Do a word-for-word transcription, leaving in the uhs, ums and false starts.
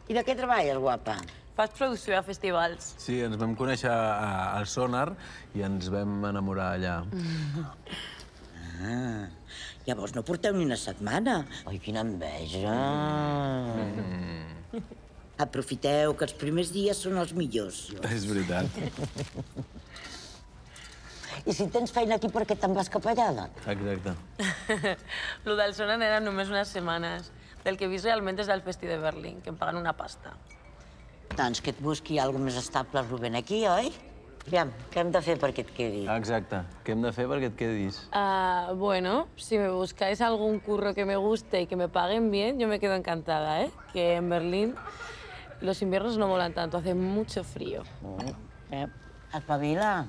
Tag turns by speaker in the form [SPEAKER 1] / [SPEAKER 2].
[SPEAKER 1] I de què treballes, guapa?
[SPEAKER 2] Fas producció a festivals.
[SPEAKER 3] Sí, ens vam conèixer a- al Sonar i ens vam enamorar allà.
[SPEAKER 1] Ah, llavors no porteu ni una setmana. Ai, quina enveja. Aprofiteu, que els primers dies són els millors.
[SPEAKER 3] És veritat.
[SPEAKER 1] I si tens feina aquí, per què te'n vas cap allà, doncs?
[SPEAKER 3] Exacte.
[SPEAKER 2] Lo del Sonan eren només unes setmanes. Del que he vist realment és del Festi de Berlín, que em paguen una pasta.
[SPEAKER 1] Doncs que et busqui alguna més estable, Rubén, aquí, oi? Aviam, què hem de fer perquè et quedis?
[SPEAKER 3] Exacte. Què hem de fer perquè et quedis?
[SPEAKER 2] Uh, bueno, si me buscáis algún curro que me guste y que me paguen bien, yo me quedo encantada, ¿eh? Que en Berlín los inviernos no molan tanto, hace mucho frío.
[SPEAKER 1] Eh, espavila.